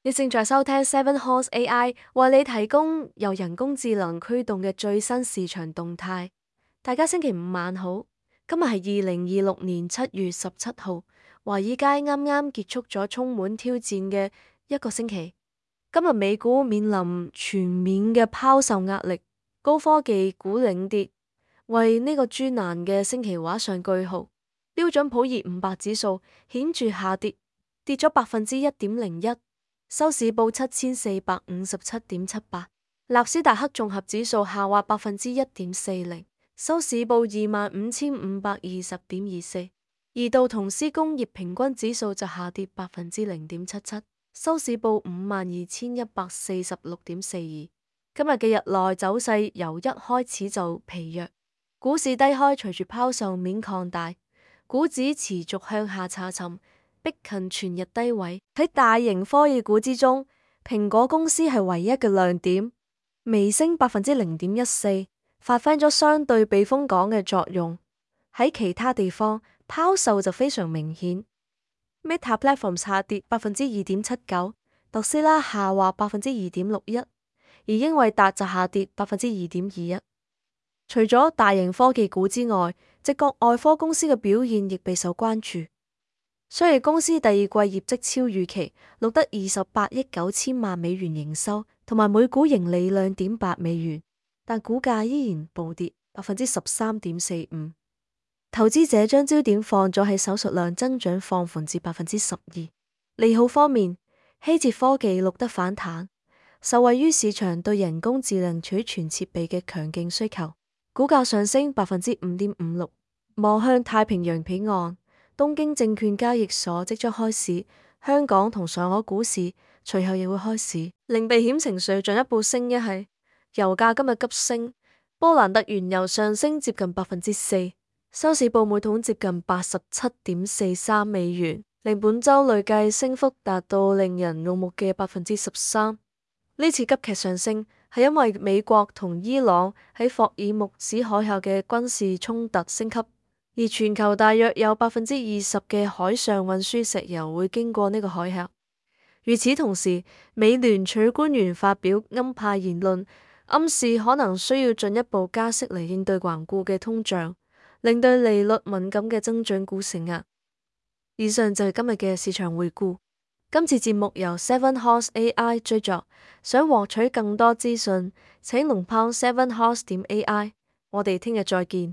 你正在收聽 Seven Horse AI 為你提供由人工智能驅動嘅最新市場動態。大家星期五晚好，今日係2026年7月17號，華爾街啱啱結束咗充滿挑戰嘅一個星期。今日美股面臨全面嘅拋售壓力，高科技股領跌，為呢個專欄嘅星期畫上句號。標準普爾500指數顯著下跌，跌咗1.01%。收市報7457.78，納斯達克綜合指數下滑1.40%，收市報25,520.24，而道瓊斯工業平均指數就下跌0.77%，收市報52,146.42。今日嘅日內走勢由一開始就疲弱，股市低開隨住拋售面擴大，股指持續向下查尋，逼近全日低位。喺大型科技股之中，蘋果公司係唯一嘅亮點，微升0.14%，發揮咗相對避風港嘅作用。喺其他地方，拋售就非常明顯。Meta Platforms 下跌2.79%，特斯拉下滑2.61%，而英偉達就下跌2.21%。除咗大型科技股之外，矽谷外科公司嘅表現亦備受關注。雖然公司第二季業績超預期，錄得28億9千萬美元營收，同埋每股盈利2.8美元，但股價依然暴跌13.45%。投資者將焦點放咗喺手術量增長放緩至12%。利好方面，希捷科技錄得反彈，受惠於市場對人工智能取存設備嘅強勁需求，股價上升5.56%。望向太平洋彼岸，東京證券交易所即將開市，香港同上海股市隨後亦會開市，令避險情緒進一步升一係油價今日急升，波蘭特原油上升接近4%，收市報每桶接近87.43美元，令本周累計升幅達到令人怒目嘅13%。呢次急劇上升係因為美國同伊朗喺霍爾木茲海峽嘅軍事衝突升級。而全球大約有20%嘅海上運輸石油會經過呢個海峽。與此同時，美聯儲官員發表鷹派言論，暗示可能需要進一步加息嚟應對頑固嘅通脹，令對利率敏感嘅增長股承壓。以上就係今日嘅市場回顧。今次節目由 Seven Horse AI 製作，想獲取更多資訊，請龍拋 7horse.ai。我哋聽日再見。